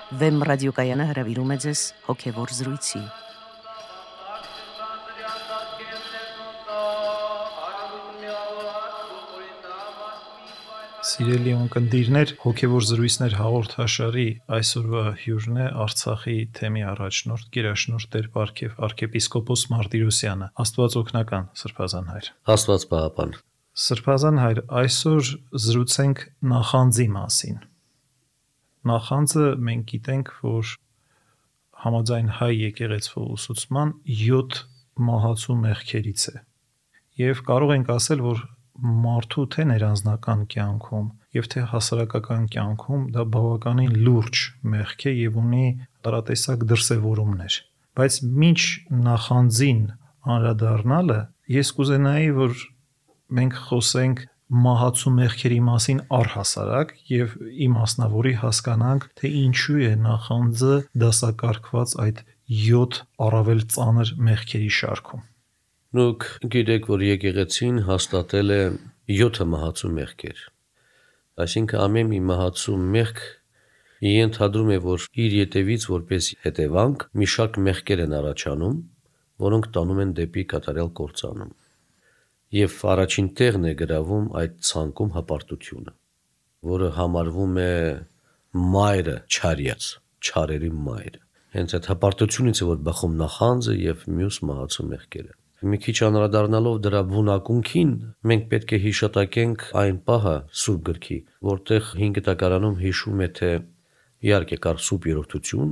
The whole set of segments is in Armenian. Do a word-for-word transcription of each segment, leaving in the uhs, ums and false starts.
Վեմ ռադիոկայանը հրավիրում է ձեզ հոգևոր զրույցի։ Սիրելի ունկնդիրներ, հոգևոր զրույցներ հաղորդաշարի այսօրվա հյուրն է Արցախի թեմի առաջնորդ գերաշնորհ Տեր Պարքև arczepiskopos Martirosyan-ը, Աստված օգնական, Սրբազան հայր։ Աստված պահապան։ Սրբազան հայր, այսօր զրուցենք նախանձի մասին։ Նախանձը մենք գիտենք, որ համաձայն հայ եկեղեցու ուսուցման յոթ մահացու մեղքերից է։ Եվ կարող ենք ասել, որ մարդու թե ներանձնական կյանքում եւ թե հասարակական կյանքում դա բավականին լուրջ մեղք է եւ ունի տարատեսակ դրսևորումներ, բայց մինչ նախանձին անդրադառնալը ես կուզենայի, որ մենք խոսենք մահացու մեղքերի մասին առհասարակ եւ իմասնավորի հասկանանք, թե ինչու է նախանձը դասակարգված այդ յոթ առավել ծանր մեղքերի շարքում։ Դուք գիտեք, որ եկեղեցին հաստատել է յոթ մահացու մեղքեր։ Այսինքն ամեն մի մահացու մեղք ենթադրում է, որ իր ետևից որպես հետևանք մի շարք մեղքեր են առաջանում, որոնք տանում են դեպի կատարյալ կործանում։ Եվ առաջին տեղն է գրավում այդ ցանկում հպարտությունը, որը համարվում է մայրը չարյաց, չարերի մայրը։ Հենց այդ հպարտությունից է, որ բխում նախանձը եւ մյուս մահացու մեղքերը։ Մի քիչ անդրադառնալով դրա բունակունքին, մենք պետք է հիշատակենք այն պահը Սուրբ գրքի, որտեղ հինգ տակարանում հիշում է, թե իհարկե կար սուրբ երրորդություն,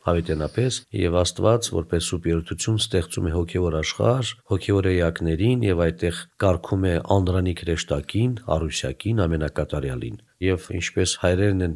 հավիտենապես, եւ Աստված որպես սուրբ երրորդություն ստեղծում է հոգեոր աշխարհ, հոգեոր էակներին եւ այդտեղ կարգում է անդրանիկ հրեշտակին, առուսյակին, ամենակատարյալին։ Եվ ինչպես հայրերն են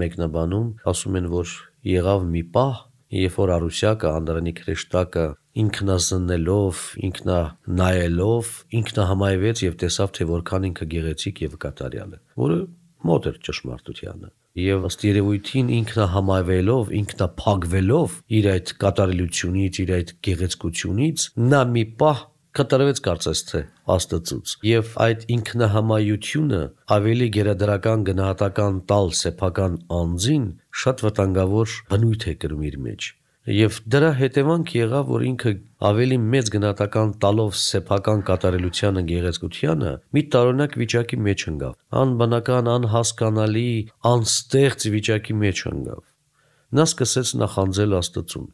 մեկնաբանում, ասում են, որ եղավ մի պահ, երբ որ առուսյակը, անդրանիկ հրեշտակը ինքնազննելով, ինքնանայելով, ինքնահամայվեց եւ տեսավ, թե որքան ինքը գեղեցիկ եւ կատարյալ է, որը մոտ էր ճշմարտությանը։ Եվ ըստ երևույթին ինքնահամայվելով, ինքնափակվելով իր այդ կատարելությունից, իր այդ գեղեցկությունից, նա մի պահ կատարվեց կարծես թե Աստծուց։ Եվ այդ ինքնահամայությունը ավելի գերադրական գնահատական տալ սեփական անձին շատ վտանգավոր բնույթ է կրում իր մեջ։ Եվ դրա հետևանք եղավ, որ ինքը ավելի մեծ գնահատական տալով սեփական կատարելությանը, գեղեցկությանը, մի տարօրինակ վիճակի մեջ ընկավ, անբնական, անհասկանալի, անստեղծ վիճակի մեջ ընկավ։ Նա սկսեց նախանձել Աստծուն։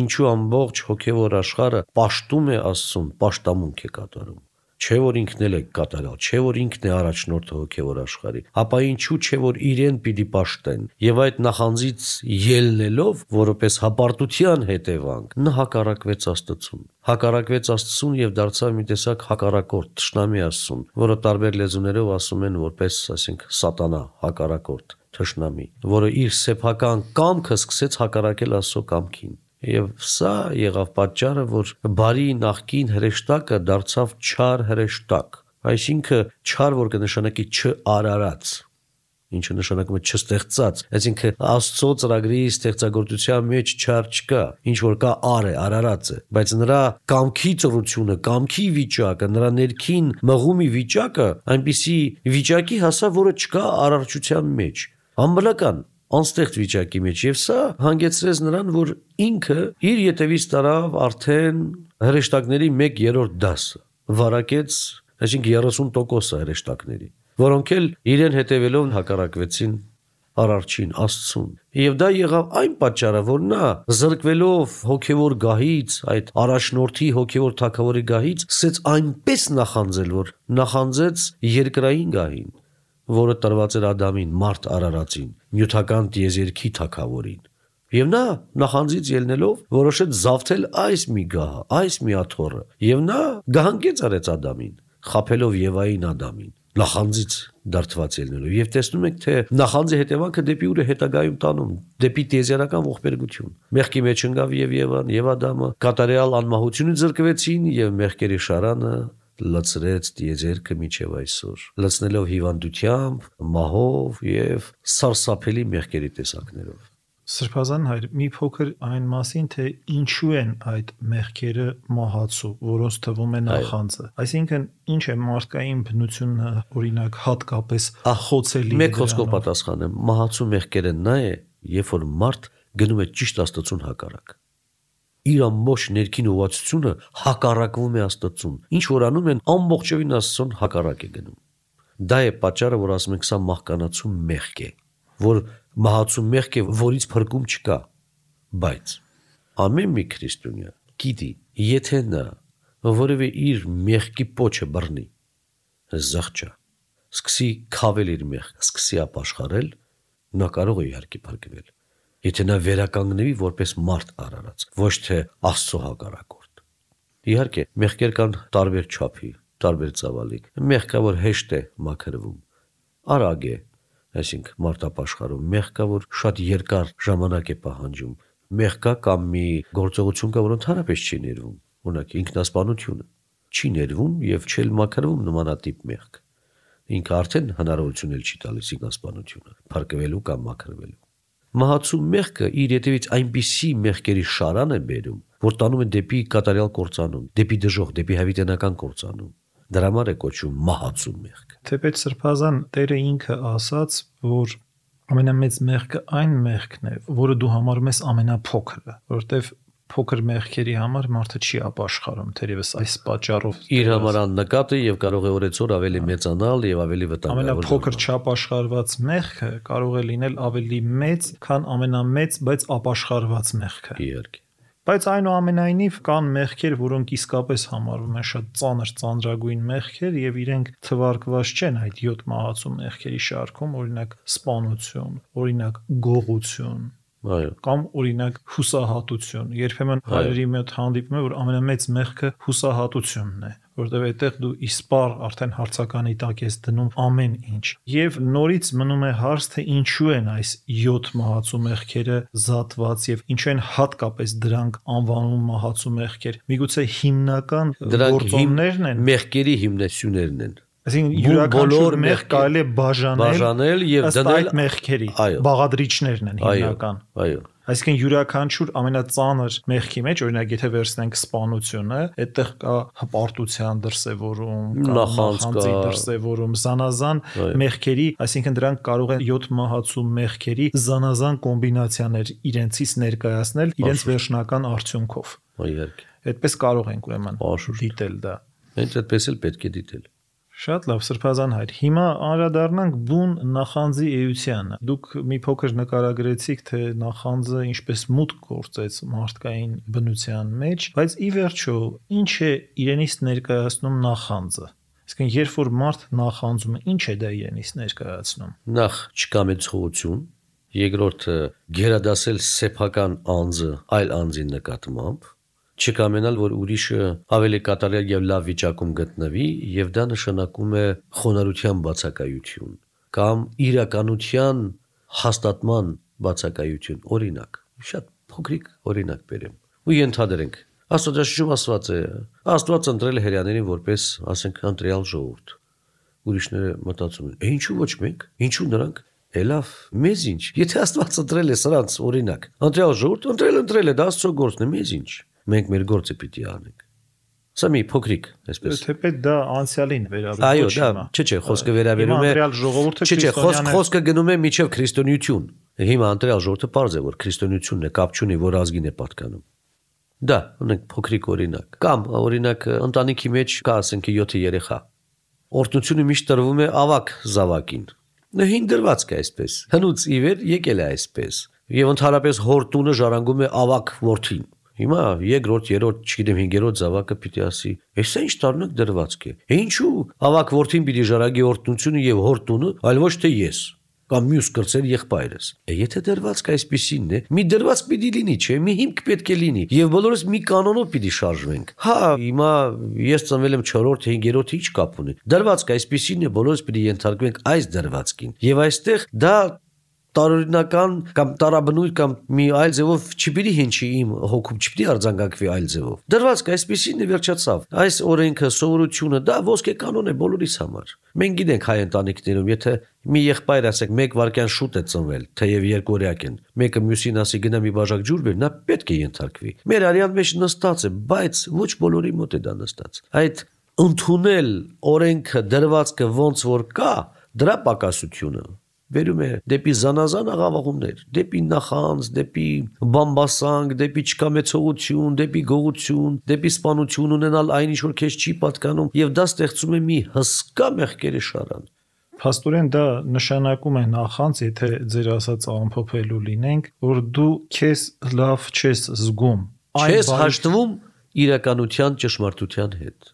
Ինչու ամբողջ հոգևոր աշխարհը պաշտում է Աստծուն, պաշտամունք է կատարում։ Չէ որ ինքն էլ է կատարյալ, չէ որ ինքն է առաջնորդը հոգևոր աշխարհի, ապա ինչու չէ որ իրեն պիտի պաշտեն։ Եվ այդ նախանձից ելնելով, որպես հպարտության հետևանք, նա հակառակվեց Աստծուն։ Հակառակվեց Աստծուն եւ դարձավ մի տեսակ հակառակորդ, թշնամի Աստծուն, որը տարբեր լեզուներով ասում են որպես, ասենք, սատանա, հակառակորդ, թշնամի, որը իր սեփական կամքը սկսեց հակառակել Աստծո կամքին։ Եվ սա եղավ պատճառը, որ բարի նախկին հրեշտակը դարձավ չար հրեշտակ, այսինքն չար, որ կնշանակի չարարած, ինչը նշանակում է չստեղծած, այսինքն Աստծո ծրագրի ստեղծագործության մեջ չար չկա, ինչ որ կա ար է, արարած է, բայց նրա կամքի ծրությունը, կամքի վիճակը, նրա ներքին մղումի վիճակը այնպիսի վիճակի հասավ, որը չկա արարչության մեջ, անբնական անստեղծ վիճակի մեջ, եւ սա հանգեցրեց նրան, որ ինքը իր ետևից տարավ արդեն հրեշտակների մեկ երրորդ դասը, վարակեց, այսինքն երեսուն տոկոսը հրեշտակների, որոնք էլ իրեն հետևելով հակառակվեցին արարչին, Աստծուն։ Եվ դա եղավ այն պատճառը, որ նա զրկվելով հոգևոր գահից, այդ առաջնորդի հոգևոր թագավորի գահից, սկսեց այնպես նախանձել, որ նախանձեց երկրային գահին, որը տրված էր Ադամին, մարդ արարածին, նյութական տիեզերքի թագավորին։ Եվ նա նախանձից ելնելով որոշեց զավթել այս մի գահը, այս մի աթոռը, եւ նա գահանկեց արեց Ադամին, խաբելով Եվային Ադամին, նախանձից դարձված ելնելով։ Եվ տեսնում եք, թե նախանձի հետևանքը դեպի ուր է հետագայում տանում, դեպի տիեզերական ողբերգություն։ Մեղքի մեջ ընկավ եւ Եվան, եւ Ադամը կատարյալ անմահությունից զրկվեցին, եւ մեղքերի շարանը լցրեց տիեզերքը մինչև այսօր, լցնելով հիվանդությամբ, մահով եւ սարսափելի մեղքերի տեսակներով։ Սրբազան հայր, մի փոքր այն մասին, թե ինչու են այդ մեղքերը մահացու, որոնց թվում է նախանձը։ Այսինքն, ինչ է մարդկային բնությունը, օրինակ, հատկապես խոցելի։ Մեկ խոսքով պատասխանեմ, մահացու մեղքերը նա է, երբ որ մարդ գնում է ճիշտ Աստծուն հակառակ։ Իր ամբողջ ներքին ուղղվածությունը հակառակվում է Աստծուն։ Ինչ որ անում են, ամբողջովին Աստծուն հակառակ է գնում։ Դա է պատճառը, որ ասում ենք, սա մահկանացու մեղք է, որ մահացու մեղք է, որից փրկում չկա։ Բայց ամեն մի քրիստոնյա գիտի, եթե նա որևէ իր մեղքի պոչը բռնի, զղջա, սկսի քավել իր մեղքը, սկսի ապաշխարել, նա կարող է իհարկե փրկվել։ Եթե նա վերականգնվի որպես մարդ արարած, ոչ թե Աստծո հակառակորդ։ Իհարկե, մեղքեր կան տարբեր չափի, տարբեր ծավալիկ։ Մեղք կա, որ հեշտ է մաքրվում, արագ է, այսինքն մարդ ապաշխարում, մեղք կա, որ շատ երկար ժամանակ է պահանջում, մեղք կա կամ մի գործողություն կա, որ ընդհանրապես չի ներվում, օրինակ ինքնասպանությունը չի ներվում եւ չի մաքրվում նմանատիպ մեղք։ Ինքը արդեն հնարավորություն էլ չի տալիս ինքնասպանությունը փրկվելու կամ մաքրվելու։ Մահացու մեղքը իր հետևից այնպիսի մեղքերի շարան է բերում, որ տանում է դեպի կատարյալ կործանում, դեպի դժոխք, դեպի հավիտենական կործանում։ Դրա համար է կոչվում մահացու մեղք։ Թեպետ Սրբազան Տերը ինքը ասաց, որ ամենամեծ մեղքը այն մեղքն է, որը դու համարում ես ամենափոքրը, որովհետև փոքր մեղքերի համար մարդը չի ապաշխարում, թերևս այս պատճառով իր համար աննկատ է եւ կարող է օրեցօր ավելի մեծանալ եւ ավելի վտանգավոր։ Ամենափոքր չապաշխարված մեղքը կարող է լինել ավելի մեծ, քան ամենամեծ, բայց ապաշխարված մեղքը։ Իհարկե։ Բայց այնուամենայնիվ կան մեղքեր, որոնք իսկապես համարվում են շատ ծանր, ծանրագույն մեղքեր եւ իրենք թվարկված չեն այդ յոթ մահացու մեղքերի շարքում, օրինակ սպանություն, օրինակ գողություն, այո, կամ օրինակ հուսահատություն։ Երբեմն հայրերի մոտ հանդիպում է, որ ամենամեծ մեղքը հուսահատությունն է, որտեղ այդտեղ դու իսպար արդեն հարցականի տակ ես դնում ամեն ինչ։ Եվ նորից մնում է հարց, թե ինչու են այս յոթ մահացու մեղքերը զատված եւ ինչու են հատկապես դրանք անվանում մահացու մեղքեր։ Միգուցե հիմնական գործոններն են, մեղքերի հիմնություններն են։ Այսինքն յուրաքանչյուր մեղք կարելի է բաժանել, բաժանել եւ դնել այդ մեղքերի բաղադրիչներն են հիմնական։ Այո։ Այսինքն յուրաքանչյուր ամենածանր մեղքի մեջ, օրինակ եթե վերցնենք սպանությունը, այդտեղ կա հպարտության դրսևորում, կա նախանձի դրսևորում, զանազան մեղքերի, այսինքն դրանք կարող են յոթ մահացու մեղքերի զանազան կոմբինացիաներ իրենցից ներկայացնել իրենց վերջնական արդյունքով։ Իհարկե։ Այդպես կարող ենք ուրեմն դիտել դա։ Հենց այդպես էլ պետք է դիտել։ Շատ լավ, Սրբազան հայր։ Հիմա անդրադառնանք բուն նախանձի էությանը։ Դուք մի փոքր նկարագրեցիք, թե նախանձը ինչպես մուտք գործեց մարդկային բնության մեջ, բայց ի վերջո ինչ է իրենից ներկայացնում նախանձը։ Իսկն երբ որ մարդ նախանձում է, ինչ է դա իրենից ներկայացնում։ Նախ չկամեցողություն, երկրորդը գերադասել սեփական անձը այլ անձի նկատմամբ, չկամենալ, որ ուրիշը ավելի կատարյալ եւ լավ վիճակում գտնվի, եւ դա նշանակում է խոնարհության բացակայություն կամ իրականության հաստատման բացակայություն։ Օրինակ, շատ փոքրիկ օրինակ բերեմ։ Ու ենթադրենք, Աստվածաշնչում ասված է, Աստված ընտրել է հրեաներին որպես, ասենք, ընտրյալ ժողովուրդ։ Ուրիշները մտածում են, ինչու ոչ մենք, ինչու նրանք։ Լավ, մեզ ինչ։ Եթե Աստված ընտրել է սրանց, օրինակ, ընտրյալ ժողովուրդ, ընտրել ընտրել է, դա Աստծո գործն է, մեզ ինչ։ Մենք մեր գործը պիտի անենք։ Սա մի փոքրիկ, այսպես։ Թեպետ դա անցյալին վերաբերում է։ Այո, դա, չէ, չէ, խոսքը վերաբերում է։ Ընտրյալ ժողովուրդը Չէ, չէ, խոսքը գնում է միջև քրիստոնեություն։ Հիմա ընտրյալ ժողովուրդը պարզ է, որ քրիստոնեությունն է, կապ չունի, որ ազգին է պատկանում։ Դա, ունենք փոքրիկ օրինակ։ Կամ օրինակ ընտանիքի մեջ կա, ասենք, յոթ երեխա։ Օրհնությունը միշտ տրվում է ավակ զավակին։ Նա հին դրված կա այսպես։ Հնուց ի վեր եկել է այսպես։ Եվ ընդհանրապես հոր տունը ժառանգում է ավակ որդին։ Հիմա երկրորդ, երրորդ, չգիտեմ, հինգերորդ զավակը պիտի ասի. «Էս ինչ տարնակ դրվածք է։ Ինչու ավակ որդին պիտի ժառանգի օրհնությունը եւ հոր տունը, այլ ոչ թե ես կամ մյուս կրծեր եղբայրս»։ Եթե դրվածքը այսպեսինն է, մի դրվածք պիտի լինի, չէ՞, մի հիմք պետք է լինի եւ բոլորս մի կանոնով պիտի շարժվենք։ Հա, հիմա ես ծնվել եմ չորրորդ, հինգերորդ, ինչ կապ ունի։ Դրվածքը այսպեսինն է, բոլորս պիտի ենթարկվենք այս դրվածքին։ Եվ այստեղ դա տարօրինական կամ տարաբնույթ կամ մի այլ ձևով չպիտի հնչի իմ հոգում, չպիտի արձանգակվի այլ ձևով։ Դրվածքը այսպեսին է, վերջացավ։ Այս օրենքը, սովորությունը դա ոսկե կանոն է բոլորիս համար։ Մենք գիտենք հայ ընտանիքներում, եթե մի եղբայր ասեք մեկ վայրկյան շուտ է ծնվել, թեև երկօրյակ են, մեկը մյուսին ասի գնա մի բաժակ ջուր բեր, նա պետք է ենթարկվի։ Մեր արյան մեջ նստած է, բայց ոչ բոլորի մոտ է դա նստած։ Այդ ընդունել օրենքը, դրվածքը ոնց որ կա, դրա պակասությունը վերում է դեպի զանազան աղավաղումներ, դեպի նախանձ, դեպի բամբասանք, դեպի չկամեցողություն, դեպի գողություն, դեպի սպանություն ունենալ այն ինչ որ քեզ չի պատկանում, եւ դա ստեղծում է մի հսկա մեղքերի շարան։ Փաստորեն դա նշանակում է նախանձ, եթե ձեր ասած ամփոփելու լինենք, որ դու քեզ լավ չես զգում, չես հաշտվում իրականության ճշմարտության հետ։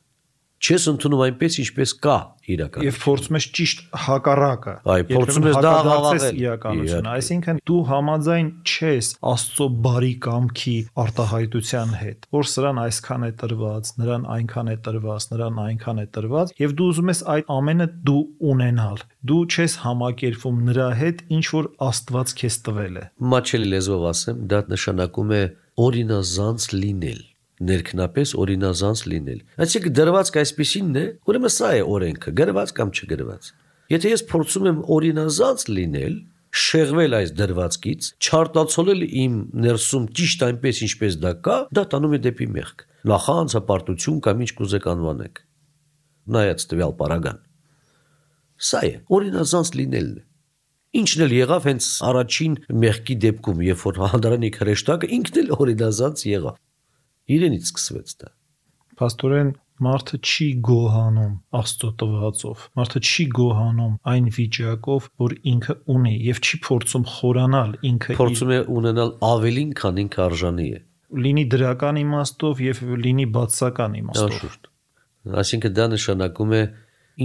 Չես ընդունում այնպես, ինչպես կա իրականություն։ Եվ փորձում ես ճիշտ հակառակը։ Այ փորձում ես դա աղավաղել իրականությունը, այսինքն դու համաձայն չես Աստծո բարի կամքի արտահայտության հետ, որ սրան այսքան է տրված, նրան այնքան է տրված, նրան այնքան է տրված, եւ դու ուզում ես այդ ամենը դու ունենալ։ Դու չես համակերպվում նրա հետ, ինչ որ Աստված քեզ տվել է։ Մաչելի լեզվով ասեմ, դա նշանակում է օրինազանց լինել։ Ներքնապես օրինազանց լինել։ Այսինքն դրվածք այսպեսինն է, ուրեմն սա է օրենքը, գրված կամ չգրված։ Եթե ես փորձում եմ օրինազանց լինել, շեղվել այս դրվածքից, չարտացոլել իմ ներսում ճիշտ այնպես ինչպես դա կա, դա տանում է դեպի մեղք։ Նախանձ, հպարտություն կամ ինչ կուզեք անվանեք։ Նայած տվյալ պարագան։ Սա է օրինազանց լինելն է։ Ինչն էլ եղավ հենց առաջին մեղքի դեպքում, երբ որ հանդարանի հրեշտակը ինքն էլ օրինազանց եղավ։ Իրենից սկսվեց դա։ Փաստորեն մարդը չի գոհանում Աստծո տվածով, մարդը չի գոհանում այն վիճակով, որ ինքը ունի, եւ չի փորձում խորանալ ինքը, փորձում է ունենալ ավելին, քան ինքը արժանի է, լինի դրական իմաստով եւ լինի բացական իմաստով։ Այսինքն դա նշանակում է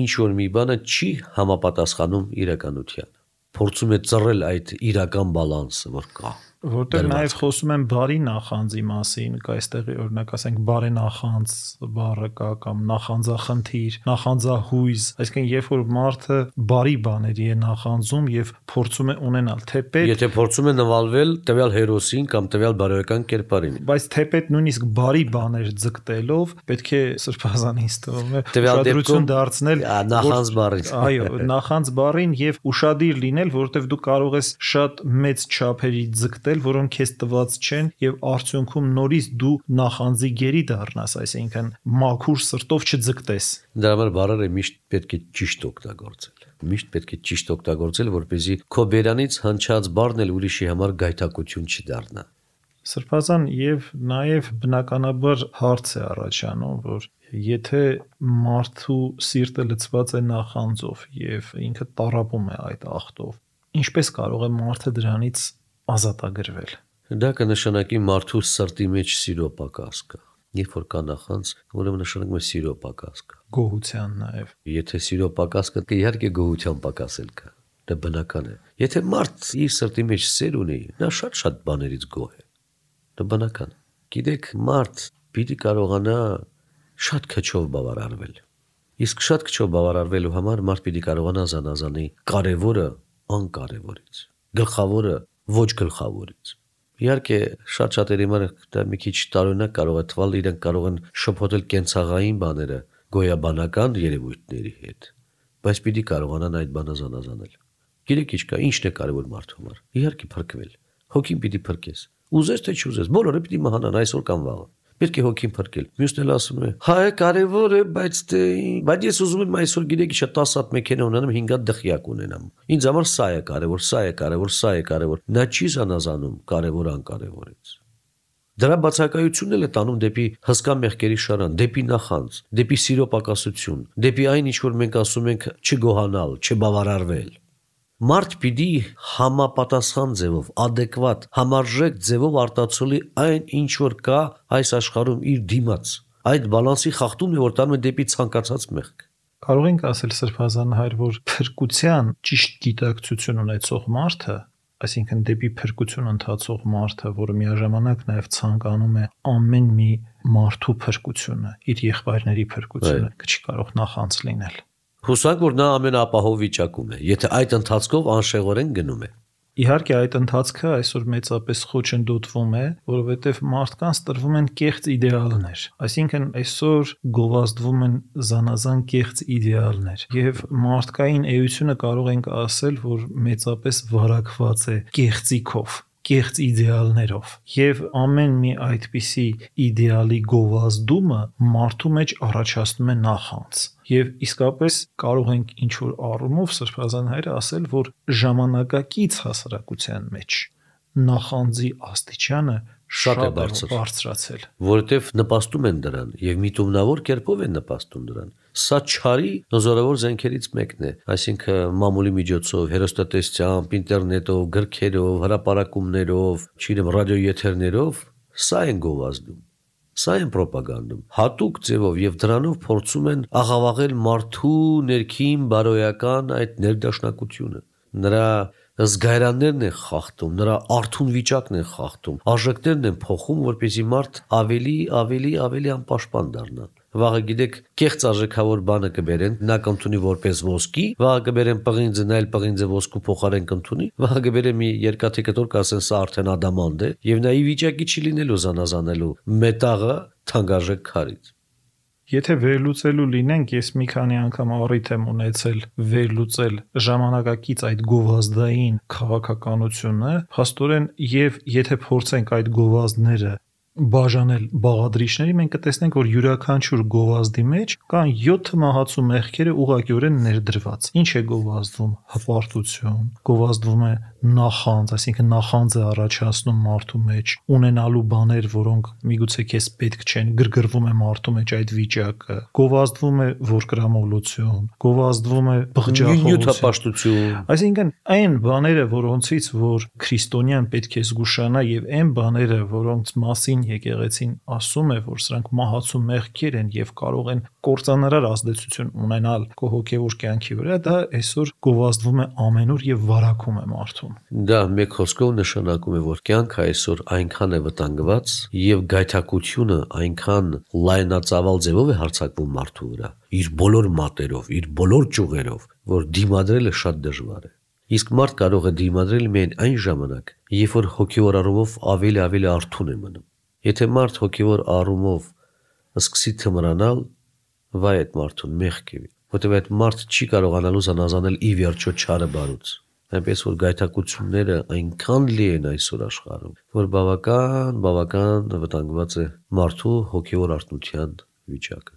ինչ որ մի բանը չի համապատասխանում իրականությանը, փորձում է ծռել այդ իրական բալանսը, որ կա։ Որտեղ նաև խոսում են բարի նախանձի մասին, կա այստեղ օրինակ ասենք բարենախանձ բառը կա կամ նախանձախնդիր, նախանձահույզ, այսինքն երբ որ մարդը բարի բաների է նախանձում եւ փորձում է ունենալ թեպետ, եթե փորձում է նվալվել տվյալ հերոսին կամ տվյալ բարոյական կերպարին, բայց թեպետ նույնիսկ բարի բաներ ձգտելով պետք է սրբազանից թվում է ուշադրություն դարձնել նախանձ բառին։ Այո, նախանձ բառին եւ ուշադիր լինել, որովհետեւ դու կարող ես շատ մեծ չափերի ձգտել, որոնք քեզ տված չեն եւ արդյունքում նորից դու նախանձի գերի դառնաս, այսինքն մաքուր սրտով չձգտես։ Դրա համար բառերը միշտ պետք է ճիշտ օգտագործել։ Միշտ պետք է ճիշտ օգտագործել, որպեսզի քո բերանից հնչած բառն էլ ուրիշի համար գայթակություն չդառնա։ Սրբազան եւ նաեւ բնականաբար հարց է առաջանում, որ եթե մարդու սիրտը լցված է նախանձով եւ ինքը տառապում է այդ ախտով, ինչպես կարող է մարդը դրանից ազատագրվել։ Դա կնշանակի մարդու սրտի մեջ սիրո պակաս կա։ Երբ որ կա նախանձ, ուրեմն նշանակում է սիրո պակաս կա։ Գոհության նաեւ։ Եթե սիրո պակաս կա, իհարկե գոհության պակաս էլ կա։ Դա բնական է։ Եթե մարդ իր սրտի մեջ սեր ունի, նա շատ-շատ բաներից գոհ է։ Դա բնական է։ Գիտեք, մարդ պիտի կարողանա շատ քչով բավարարվել։ Իսկ շատ քչով բավարարվելու համար մարդ պիտի կարողանա զանազանի կարևորը անկարևորից, գլխավորը ոչ գլխավորից։ Իհարկե, շատ շատերի համար դա մի քիչ տարօրինակ կարող է թվալ, իրենք կարող են շփոթել կենցաղային բաները գոյաբանական երևույթների հետ, բայց պիտի կարողանան այդ բանը զանազանել։ Գիտեք ինչ կա, ինչն է կարևոր մարդու համար։ Իհարկե փրկվել։ Հոգին պիտի փրկես։ Ուզես թե չուզես, բոլորը պիտի մահանան այսօր կամ վաղը։ Պետք է հոգին փրկել։ Մյուսն էլ ասում է. «Հա, կարևոր է, բայց դե, բայց ես ուզում եմ այսօր գիտեք ինչ տասը հատ մեքենա ունենամ, հինգ հատ դղյակ ունենամ։ Ինձ համար սա է կարևոր, սա է կարևոր, սա է կարևոր»։ Նա չի զանազանում կարևոր անկարևորից։ Դրա բացակայությունն էլ է տանում դեպի հսկա մեղքերի շարան, դեպի նախանձ, դեպի սիրո պակասություն, դեպի այն ինչ որ մենք ասում ենք չգոհանալ, չբավարարվել։ Մարդ պիտի համապատասխան ձևով, adekvat, համարժեք ձևով արտացոլի այն ինչ որ կա այս աշխարհում իր դիմաց։ Այդ բալանսի խախտումն է, որ տանում է դեպի ցանկացած մեղք։ Կարող ենք ասել սրբազան հայր, որ փրկության ճիշտ գիտակցություն ունեցող մարդը, այսինքն դեպի փրկություն ընթացող մարդը, որը միաժամանակ նաև ցանկանում է ամեն մի մարդու փրկությունը, իր եղբայրների փրկությունը, չի կարող նախանձ լինել։ Հուսանք, որ նա ամենաապահով վիճակում է, եթե այդ ընթացքով անշեղորեն գնում է։ Իհարկե այդ ընթացքը այսօր մեծապես խոչընդոտվում է, որովհետև մարդկանց տրվում են կեղծ իդեալներ։ Այսինքն այսօր գովազդվում են զանազան կեղծ իդեալներ, եւ մարդկային էությունը կարող ենք ասել, որ մեծապես վարակված է կեղծիքով, կեղծ իդեալներով, եւ ամեն մի այդպիսի իդեալի գովազդումը մարդու մեջ առաջացնում է նախանձ։ Եվ իսկապես կարող ենք ինչ որ առումով Սրբազան հայրը ասել, որ ժամանակակից հասարակության մեջ նախանձի աստիճանը շատ է բարձր բարձրացել, որովհետև նպաստում են դրան եւ միտումնավոր կերպով են նպաստում դրան։ Սա չարի զորավոր զենքերից մեկն է, այսինքն մամուլի միջոցով, հեռուստատեսությամբ, ինտերնետով, գրքերով, հրապարակումներով, չգիտեմ, ռադիոեթերներով, սա են գովազդում, սա են ռոպագանդում, հատուկ ձևով եւ դրանով փորձում են աղավաղել մարդու ներքին բարոյական այդ ներդաշնակությունը, նրա զգայարաններն են խախտում, նրա արթուն վիճակն են խախտում, արժեքներն են փոխում, որպեսզի մարդ ավելի, ավելի, ավելի անպաշտպան դառնա։ Վաղը գիտեք, կեղծ արժեքավոր բանը կբերեն, նա կընդունի որպես ոսկի, վաղը կբերեն պղինձը, նա էլ պղինձը ոսկու փոխարեն կընդունի, վաղը կբերեն մի երկաթի կտոր, կասեն սա արդեն ադամանդ է, եւ նա ի վիճակի չի լինելու զանազանելու մետաղը թանկարժեք քարից։ Եթե վերլուծելու լինենք, ես մի քանի անգամ առիթ եմ ունեցել վերլուծել ժամանակակից այդ գովազդային քաղաքականությունը, փաստորեն եւ եթե փորձենք այդ գովազդները բաժանել բաղադրիչների, մենք կտեսնենք, որ յուրաքանչյուր գովազդի մեջ կան յոթ մահացու մեղքերը ուղղակիորեն ներդրված։ Ինչ է գովազդվում? Հպարտություն, գովազդվում է նախանձ, այսինքն նախանձը առաջացնում մարդու մեջ, ունենալու բաներ, որոնք միգուցե քեզ պետք չեն, գրգռվում է մարդու մեջ այդ վիճակը, գովազդվում է որկրամոլություն, գովազդվում է բղջախոհություն, այսինքն այն բաները, որոնցից որ քրիստոնյան պետք է զգուշանա եւ այն բաները, որոնց մասին եկեղեցին ասում է, որ սրանք մահացու մեղքեր են եւ կարող են կործանարար ազդեցություն ունենալ քո հոգեվոր կյանքի վրա, դա այսօր գովազդվում է ամենուր եւ վարակում է մարդուն։ Դա մեկ խոսքով նշանակում է, որ կյանքը այսօր այնքան է վտանգված եւ գայթակղությունը այնքան լայնածավալ ձևով է հարձակվում մարդու վրա, իր բոլոր մատերով, իր բոլոր ճյուղերով, որ դիմադրելը շատ դժվար է։ Իսկ մարդ կարող է դիմադրել միայն այն ժամանակ, երբ որ հոգեվոր առումով ավելի-ավելի արթուն է մնում։ Եթե մարդ հոգեվոր առումով սկսի թմրանալ, վայ այդ մարդուն մեղք է, որտեղ այդ մարդ չի կարողանալու զանազանել ի վերջո չարը բարուց։ Այնպես որ գայթակղությունները այնքան լի են այսօր աշխարհում, որ բավական, բավական վտանգված է մարդու հոգեվոր արթնության վիճակը։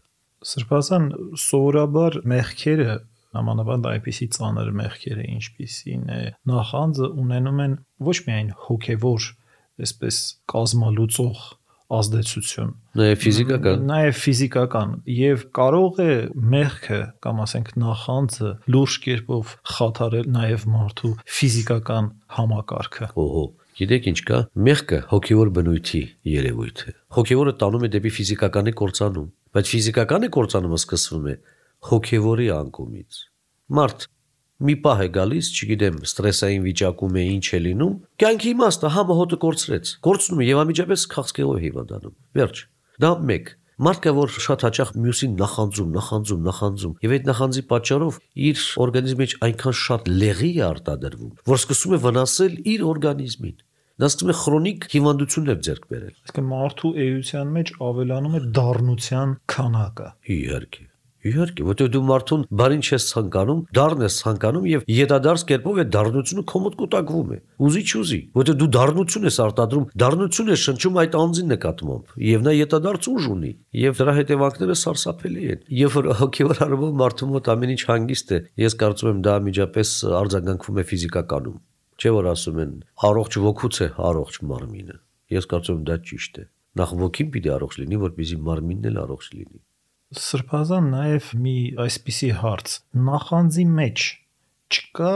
Սրբազան սովորաբար մեղքերը, նամանավանդ այնպիսի ծանր մեղքերը, ինչպիսին է նախանձը, ունենում են ոչ միայն հոգեվոր, այսպես կազմալուծող ազդեցություն, նաև ֆիզիկական, նաև ֆիզիկական, եւ կարող է մեղքը կամ ասենք նախանձը լուրջ կերպով խաթարել նաև մարդու ֆիզիկական համակարգը։ Օհո, գիտեք ինչ կա, մեղքը հոգեվոր բնույթի երևույթ է։ Հոգեվորը տանում է դեպի ֆիզիկականի կործանում, բայց ֆիզիկականի կործանումը սկսվում է հոգեվորի անկումից։ Մարդ մի պահ է գալիս, չգիտեմ, ստրեսային վիճակում է, ինչ է լինում, կյանքի իմաստը համը հոտը կորցրեց, կորցնում եւ անմիջապես քաղցկեղով հիվանդանում։ Վերջ։ Դա մեկ։ Մարդ կա, որ շատ հաճախ մյուսին նախանձում, նախանձում, նախանձում, եւ այդ նախանձի պատճառով իր օրգանիզմի մեջ այնքան շատ լեղի է արտադրվում, որ սկսում է վնասել իր օրգանիզմին։ Դա սկսում է քրոնիկ հիվանդություններ ձեռք բերել։ Այսինքն մարդու էության մեջ ավելանում է դառնության քանակը։ Իհարկե։ Իհարկե, որտեղ դու մարդուն բարին չես ցանկանում, դառն ես ցանկանում եւ յետադարձ կերպով է դառնությունը քո մոտ կուտակվում է։ Ուզի չուզի, որտեղ դու դառնություն ես արտադրում, դառնություն ես շնչում այդ անձին նկատմամբ, եւ նա յետադարձ ուժ ունի, եւ դրա հետևանքները սարսափելի են։ Երբ որ հոգեվոր առումով մարդու մոտ ամեն ինչ հանգիստ է, ես կարծում եմ դա միջապես արձագանքվում է ֆիզիկականում։ Չէ՞ որ ասում են, առողջ ոգուց է առողջ մարմինը։ Ես կարծում եմ դա ճիշտ է։ Նախ ոգին պիտի առողջ լինի, որպեսզի մարմինն էլ առողջ լինի։ Սրբազան նաև մի այսպիսի հարց, նախանձի մեջ չկա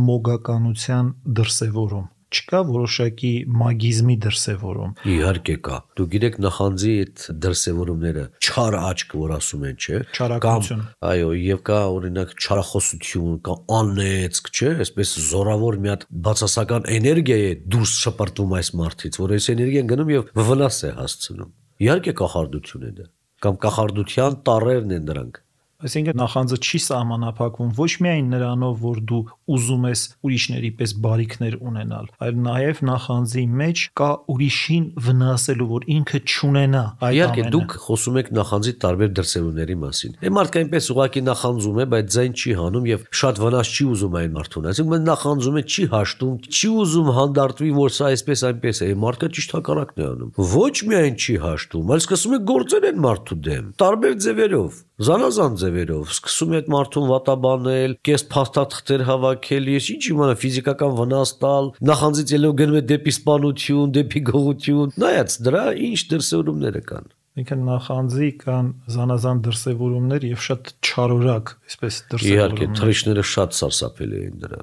մոգականության դրսևորում, չկա որոշակի մագիզմի դրսևորում։ Իհարկե կա։ Դու գիտեք նախանձի այդ դրսևորումները, չար աչք, որ ասում են, չէ՞, չարակություն։ Այո, եւ կա օրինակ չարախոսություն, կա անեծք, չէ՞, այսպես զորավոր մի հատ բացասական էներգիա է դուրս շպրտվում այս մարդից, որ այս էներգիան գնում եւ վնաս է հասցնում։ Իհարկե կախարդություն է դա, կամ կախարդության տառերն են դրանք։ Այսինքն նախանձը չի սահմանափակվում ոչ միայն նրանով, որ դու ուզում ես ուրիշների պես բարիքներ ունենալ, այլ նաև նախանձի մեջ կա ուրիշին վնասելու, որ ինքը չունենա այդ ամենը։ Իհարկե դուք խոսում եք նախանձի տարբեր դրսևորումների մասին։ Այն մարդը այնպես ուղղակի նախանձում է, բայց ձայն չի հանում եւ շատ վնաս չի ուզում այն մարդուն։ Այսինքն նախանձում է, չի հաշտում, չի ուզում հանդարտվի, որ սա այսպես այնպես է։ Մարդը ճիշտ հակառակն է անում։ Ոչ միայն չի հաշտում, այլ սկսում է գործել այն մարդու դեմ, տարբեր ձևերով, զանազան ձևերով։ ձևերով։ Սկսում է այդ մարդուն վատաբանել, կես փաստաթղթեր հավաքել, ես ինչ իմանա ֆիզիկական վնաս տալ, նախանձից ելնելով գնում է դեպի սպանություն, դեպի գողություն։ Նայած դրա ինչ դրսևորումներ կան։ Ինքն նախանձի կան զանազան դրսևորումներ եւ շատ չարորակ, այսպես Իհարկե, դրսևորումներ։ թռիչքները շատ սարսափելի են դրա։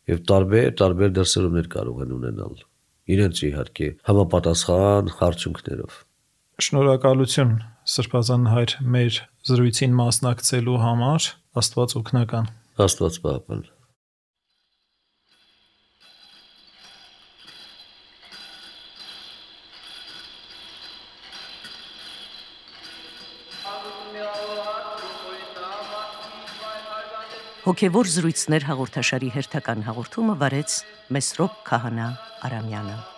Եվ տարբեր տարբեր դրսևորումներ կարող են ունենալ։ Իրենց իհարկե համապատասխան արդյունքներով։ Շնորհակալություն Սրբազան հայր մեր զրույցին մասնակցելու համար, Աստված օգնական։ Աստված պահապան։ Հոգևոր զրույցներ հաղորդաշարի հերթական հաղորդումը վարեց Մեսրոպ Քահանա Արամյանը։